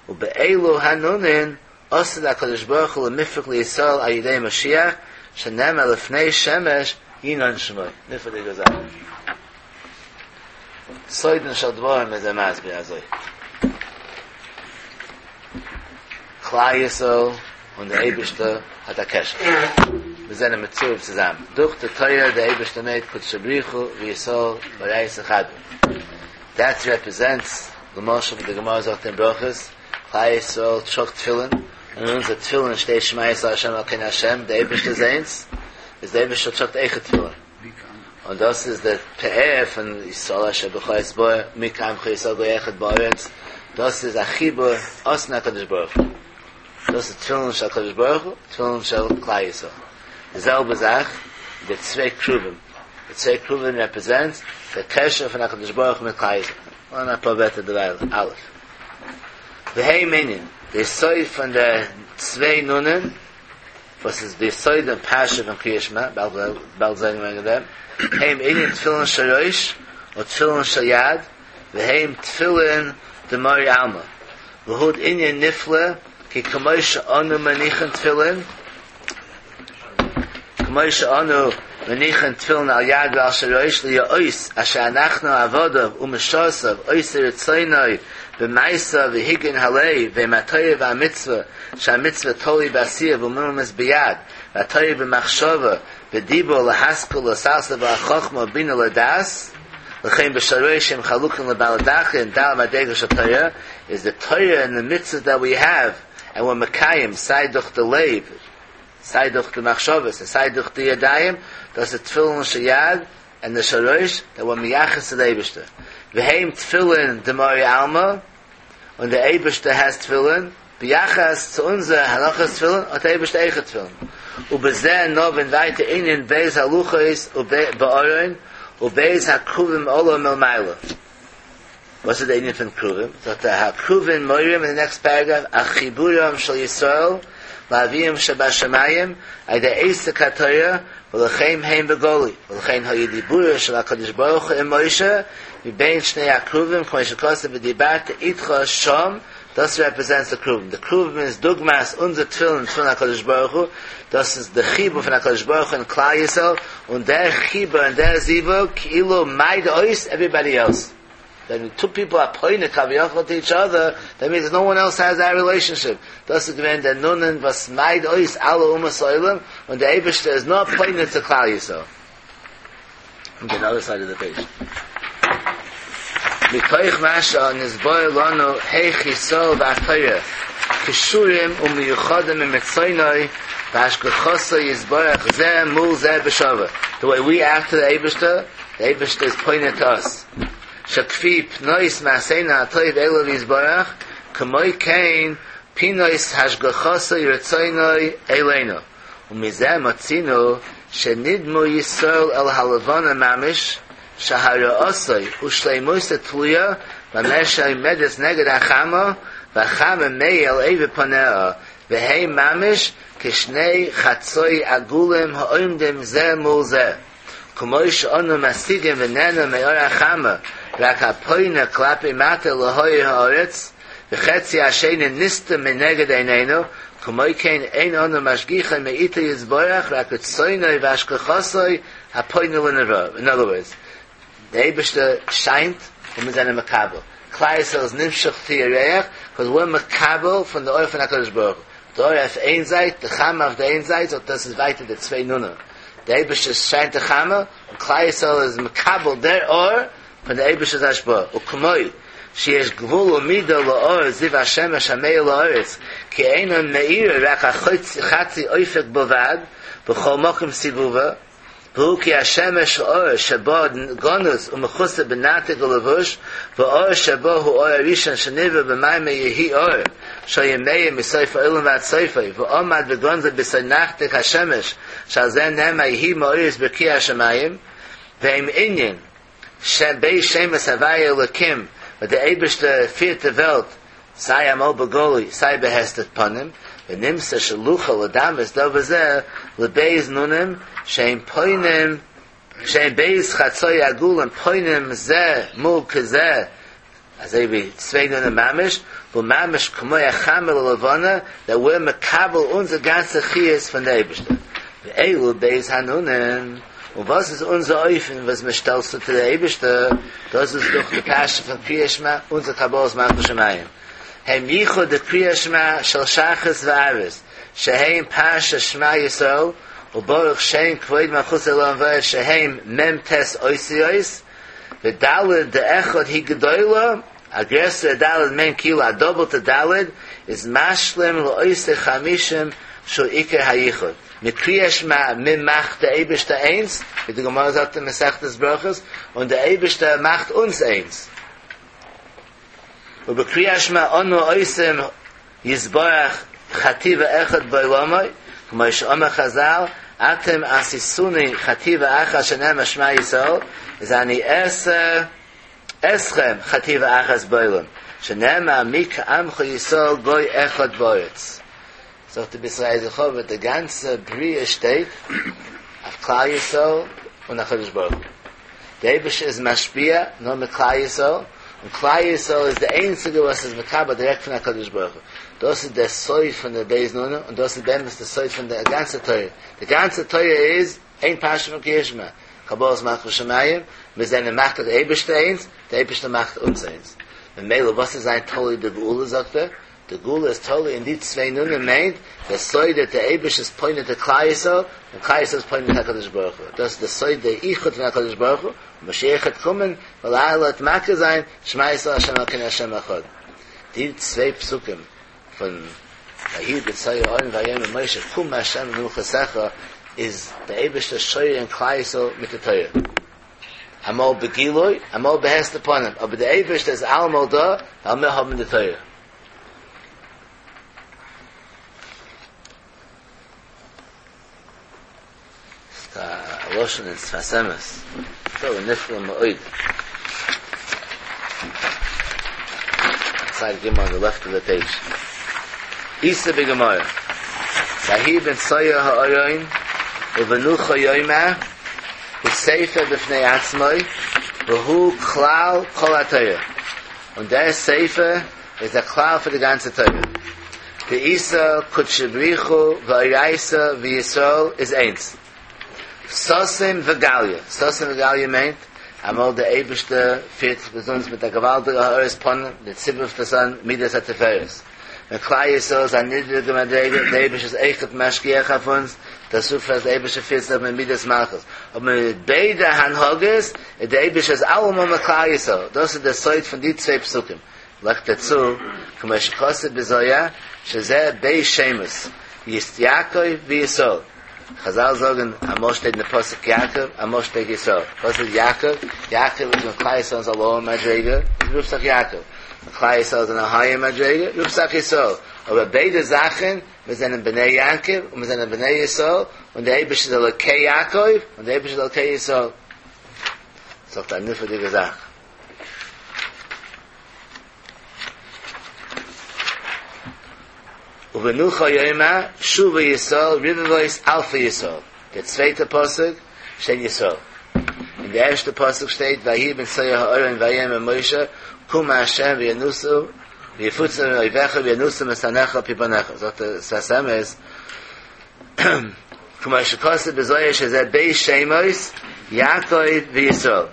ובאלו הנונין עתיד הקדוש ברוך הוא למפרק לישראל על ידי משיח, שנאמר לפני שמש ינון שמו. נפלא'דיגע זאך. סודן של דברים איז ער מסביר אזוי. כלל ישראל און דער אייבערשטער האט א קשר. מיר זענען מצורף צוזאמען. דורך די תורה דער אייבערשטער מיינט קודשא בריך הוא וישראל ואורייתא חד הוא. דעט רעפרעזענטס למשל ווי די גמרא זאגט אין ברכות, כלל ישראל טראגט תפילין, און אין אונזער תפילין שטייט שמע ישראל ה' אלקינו ה', דער אייבערשטער איז איינס, איז דער אייבערשטער טראגט אויכעט תפילין. און דאס איז די פאר פון ישראל אשר בך אתברך מי כעמך ישראל גוי אחד בארץ, דאס איז א חיבור אתון הקדוש ברוך הוא, דאס איז תפילין של הקדוש ברוך הוא, תפילין של כלל ישראל, די זעלבע זאך די צוויי כרובים, די צוויי כרובים רעפרעזענטס די קשר פון הקדוש ברוך הוא מיט כלל ישראל, און אפאר ווערטער דערווייל, א' והם ענין, די סוד פון די צוויי נונען. וואס איז די סוד און פרשה פון קריאת שמע, באלד זען וועגן דעם, הם ענין תפילין של ראש ותפילין של יד, והם תפילין דמרי עלמא, והוא ענין נפלא, כי כמו שאנו מניחין תפילין, כמו שאנו מניחין תפילין על יד ועל של ראש להיות אשר אנחנו עבדיו ומשרתיו עושי רצונו במעשיו והגיון הלב והם התורה והמצוה שהמצוה תלוי בעשייה וממומש ביד והתורה במחשבה ודיבור להשכיל ולשכל ולחכמה ובינה לדעת לכן בשלוש שהם חלוקים לבעלי ד' מדרגות של תורה איז the Torah and the mitzvah that we have and we're מקיים סיי דורך די לב סיי דורך די מחשבות און סיי דורך די ידיים, דאס איז תפילין של יד און די של ראש, דעט ווער מייחס צו די אייבערשטער, והם תפילין דמרי עלמא, און די אייבערשטער העז תפילין, ביחס צו אונזער הנחת תפילין האט די אייבערשטער אויכעט תפילין, ובזה נבין ווייטער ענין ב' הלוחות בארון וב' הכרובים עליו מלמעלה. וואס איז די ענין פון כרובים? זאגט ער הכרובים מורים אין די נעקסט פערעגראף על חיבורם של ישראל לאביהם שבשמים על ידי עסק התורה ולכן הם בגלוי ולכן היה דיבורו של הקדוש ברוך הוא עם משה מבין שני הכרובים כמו שכתוב ודיברתי איתך שם דאס רעפרעזענטס די כרובים די כרובים איז דוגמת אונזער תפילין תפילין הקדוש ברוך הוא דאס איז די חיבור פון הקדוש ברוך הוא און כלל ישראל און דער חיבור און דער זיווג כאילו מיידט אויס עווריבאדי עלס. ווען טו פיפל אר פונה כביכול טו איטש אדער, דעט מינס נאו וואן עלס העז דעט רילעישאנשיפ, דאס איז געווען דער נונען וואס מיידט אויס אלע אומות העולם, און דער אייבערשטער איז נאר פונה צו כלל ישראל. און די אדער סייד אוו די פעידזש. מתוך מה שנתבאר לנו היאך ישראל והתורה קשורים ומיוחדים עם רצונו והשגחתו יתברך זה מול זה בשווה, די וועי ווי עקט טו די אייבערשטער, די אייבערשטער איז פונה טו אס, שכפי פנות מעשינו הטוב אליו יתברך, כמו כן פנות השגחתו ורצונו אלינו, ומזה מצינו שנדמו ישראל אל הלבנה ממש, שהראתו ושלימותה תלויה במה שעומדת נגד החמה, והחמה מאיר אל עבר פניה, והם ממש כשני חצאי עגולים העומדים זה מול זה. כמו שאנו משיגים ונהנים מאור החמה, רק הפונה כלפי מטה להאיר הארץ, וחצי השני נסתם מנגד עינינו, כמו כן אין אנו משגיחים מאיתו יתברך רק רצונו והשגחתו הפונה לנברא. In other words, דער אייבערשטער שיינט און מיר זענען מקבל. כלל ישראל איז נמשך צו ירח, קאז וויר מקבל פון די אור פון הקדוש ברוך הוא. די אור אויף איין זייט, די חמה אויף די איין זייט, זאגט דאס איז ווייטער די צוויי נונען. דער אייבערשטער שיינט די חמה, און כלל ישראל איז מקבל דער אור פון דער אייבערשטער'ס השפעה. וכמו שיש גבול ומידה לאור זיו השמש המאיר לארץ, כי אינו מאיר רק חצי אופק בלבד, בכל מקום סיבובה, והוא כי השמש אור שבו גנוז ומכוסה בנרתיק ולבוש, והאור שבו הוא אור הראשון שנברא במאמר יהי אור, שהיה מאיר מסוף העולם ועד סופו, ועמד וגנזו בסוד נרתיק השמש, שעל זה נאמר יהי מאורות ברקיע השמים, והם ענין שם ב' שמות הוויה אלקים, וואס דער אייבערשטער פירט די וועלט, סיי אמאל בגלוי סיי בהסתר פנים, ונמצא שנוכל לדמות דבר זה לב' נונים שהם פונים שהם ב' חצאי עגולים פונים זה מול כזה, אזוי ווי צוויי נונים ממש, והוא ממש כמו החמה ללבנה, דעט וויר מקבל אונזער גאנצע חיות פון די אייבערשטער. ואלו ב' הנונים, און וואס איז אונזער אופן וואס מען שטעלט צו צו די אייבערשטער, דאס איז דורך די פרשה פון קריאת שמע, אונזער קבלת מלכות שמים, הם ייחוד דקריאת שמע של שחרית וערבית, שהם פרשת שמע ישראל, וברוך שם כבוד מלכותו לעולם ועד שהם מ ט אותיות, וד' דאחד היא גדולה, א גרעסערע ד' מיינט כאילו א דאפלטע ד', איז משלים לאותו חמישים שהוא עיקר היחוד. מיט קריאת שמע מען מאכט די אייבערשטער איינס, ווי די גמרא זאגט אין מסכת ברכות, און די אייבערשטער מאכט אונז איינס. ובקריאת שמע אנו עושים יתברך חטיבה אחד בעולמו, כמו שאמר חזל, אתם עשיתוני חטיבה אחת שנאמר שמע ישראל, איז אני אעשה אתכם חטיבה אחת בעולם, שנאמר מי כעמך ישראל גוי אחד בארץ. זאגט די בית יששכר די גאנצע בריאה שטייט אויף כלל ישראל און הקדוש ברוך הוא. די אייבערשטער איז משפיע נאר מיט כלל ישראל, און כלל ישראל איז די איינציגע וואס איז מקבל דירעקט פון הקדוש ברוך הוא. דאס איז דער סוד פון די בית נונים, און דאס איז באמת די סוד פון די גאנצע תורה. די גאנצע תורה איז איין פרשה פון קריאת שמע, קבלת מלכות שמים, מיר זענען מאכט די אייבערשטער איינס, די אייבערשטער מאכט אונז איינס. ממילא וואס איז זיין תלוי די גאולה זאגט ער, די גאולה איז תלוי אין די צוויי נונים מיינט דער סוד דער אייבערשטער איז פונה צו כלל ישראל און כלל ישראל איז פונה צו הקדוש ברוך הוא דאס איז די סוד דער איחוד פון הקדוש ברוך הוא און משיח וועט קומען ולאט לאט מכיר זיין שמע ישראל השם אלקינו השם אחד די צוויי פסוקים פון ויהי בצער אהרן ויאמר משה קום השם למנוחתך איז דער אייבערשטער שורה אין כלל ישראל מיט די תורה. אמאל בגילוי, אמאל בהסתר פנים, אבער דער אייבערשטער איז אלעמאל דא, ווייל מיר האבן די תורה. ס'איז א לשון אין שפת אמת, דבר נפלא מאוד. צד ג' אן די לעפט אוו די פעידזש. איתא בגמרא, ויהי בנסוע הארון ובנוחה יאמר, הוא ספר בפני עצמו והוא כלל כל התורה, און דער ספר איז דער כלל פאר די גאנצע תורה. דאיתא קודשא בריך הוא ואורייתא וישראל איז איינס. סתים וגליא, סתים וגליא מיינט אמאל דער אייבערשטער פירט זיך ביז אונז מיט א געוואלדיגע הארת פנים, די ציבור רופט עס אן מידת התפארת. ווען כלל ישראל איז א נידריגע מדריגה, דער אייבערשטער איז אויכעט משגיח אויף אונז, דאס רופט אז דער אייבערשטער פירט זיך מיט מידת מלכות, אבער מיט ביידע הנהגות איז דער אייבערשטער איז אלעמאל מיט כלל ישראל, דאס איז דער סוד פון די צוויי פסוקים, לייגט ער צו, כמו שכתוב בזוהר, שזה ב' שמות, יעקב וישראל, חזל זאגן אמאל שטייט אין די פסוק יעקב, אמאל שטייט ישראל, וואס איז יעקב? יעקב איז ווען כלל ישראל איז א לאוער מדריגה, איז רופט זיך יעקב, ווען כלל ישראל איז אין א הייער מדריגה, רופט זיך ישראל, אבער ביידע זאכן, מיר זענען בני יעקב און מיר זענען בני ישראל, און דער אייבערשטער איז אלוקי יעקב און דער אייבערשטער איז אלוקי ישראל. זאגט א נפלא'דיגע זאך. ובנוחה יאמר שובה ישראל רבבות אלפי ישראל, דער צווייטער פסוק שטייט ישראל. אין די ערשטע פסוק שטייט ויהי בנסוע הארון ויאמר משה קום ה' וינוסו ויפוצו אויביך וינוסו משנאיך על פי בניך זאגט דער שפת אמת כמו שכתוב בזוהר שזה ב' שמות יעקב וישראל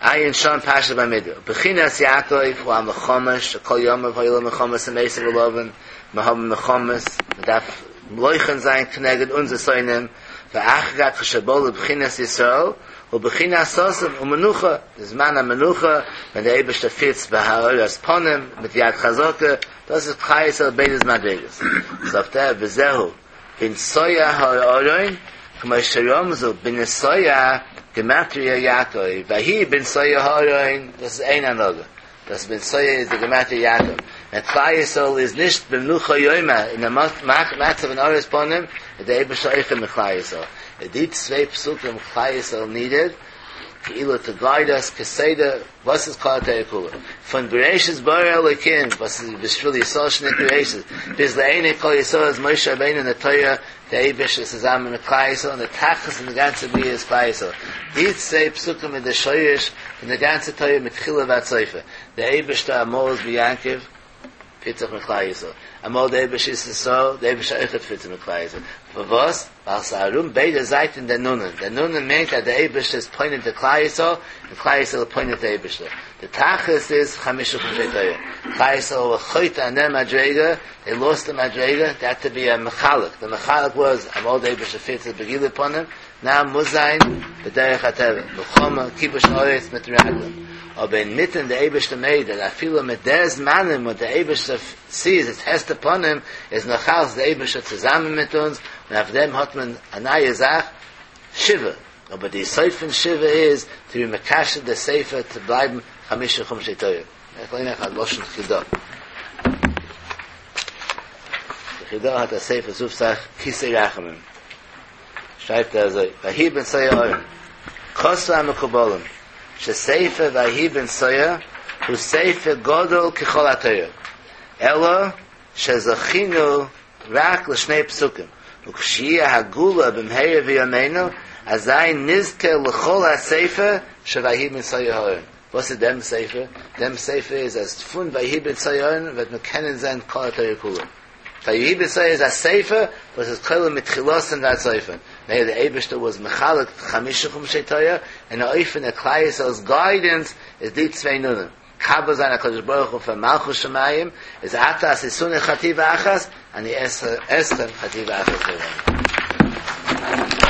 עיין שם פרשת במדבר בחינת יעקב הוא המלחמה שכל ימיו היו לו מלחמות עם עשו ולבן מיר האבן מלחמות מען דארף לוחם זיין כנגד אונזער שונאים ואחר כך כשבא לבחינת ישראל הוא בחינת ששון ומנוחה די זמן המנוחה ווען דער אייבערשטער פירט בהארת פנים מיט יד חזקה דאס איז כלל ישראל ביידע מדריגות זאגט ער וזהו בנסוע הארון כמו שרמזו בנסוע גמטריא יעקב ויהי בנסוע הארון דאס איז איין הנהגה דאס בנסוע איז די גמטריא יעקב ווען כלל ישראל איז נישט במנוחה יומא אין א מצב פון הארת פנים איז דער אייבערשטער אויכעט מיט כלל ישראל די צוויי פסוקים כלל ישראל נידעד כאילו טו גייד אס כסדר וואס איז כל התורה כולה? פון בראשית ברא אלוקים וואס איז בשביל ישראל שנקראו ראשית, ביז לעיני כל ישראל איז משה רבינו און די תורה, די אייבערשטער איז צוזאמען מיט כלל ישראל און די תכלית פון די גאנצע בריאה איז כלל ישראל. די צוויי פסוקים איז די שורש פון די גאנצע תורה מתחילה ועד סופה. די אייבערשטער אמאל איז ביי יעקב, פירט זיך מיט כלל ישראל. אמאל די אייבערשטער איז ישראל, די אייבערשטער אויכעט פירט זיך מיט כלל ישראל. פארוואס? ווייל ס'איז ארום ביידע זייטן די נונען. די נונען מיינט אז די אייבערשטער איז פונה צו כלל ישראל, און כלל ישראל איז פונה צו אייבערשטער. די תכלית איז חמשה חומשי תורה. כלל ישראל ווער חוטא אין דער מדריגה, דעי לאסט די מדריגה, דער העד טו בי א מחלק. די מחלק וואס אמאל די אייבערשטער פירט זיך בגילוי פנים, נאו מוז זיין בדרך הטבע, מלחמה, כיבוש הארץ מיט רגלים, אבער אינמיטן די אייבערשטער מעיד אז אפילו מיט די זמנים וואס די אייבערשטער סיז איטס הסתר פנים איז נאכאלץ די אייבערשטער צוזאמען מיט אונז, און אויף דעם האט מען א נייע זאך שבעה, אבער די יסוד פון שבעה איז טו בי מקשר די ספר צו בלייבן חמשה חומשי תורה. איך ליין אייך א לשון חידא. די חידא האט א ספר ס'רופט זיך כסא רחמים. שרייבט ער אזוי, ויהי בנסוע הארון, כתבו המקובלים, שספר ויהי בנסוע הוא ספר גדול ככל התורה, אלא שזכינו רק לשני פסוקים, וכשיהיה הגאולה במהרה בימינו, אזי נזכה לכל הספר של ויהי בנסוע הארון. וואס איז דעם ספר? דעם ספר איז אז פון ויהי בנסוע הארון וועט מען קענען זען כל התורה כולה. ויהי בנסוע איז א ספר וואס איז כולל מתחילתן ועד סופן, נעה די אייבערשטער וואס מחלק חמשה חומשי תורה אין א אופן אז כלל ישראל'ס גיידענס איז די צוויי נונים, מקבל זיין הקדוש ברוך הוא פון מלכות שמים איז אתה עשיתני חטיבה אחת אני אעשה אתכם חטיבה אחת בעולמו.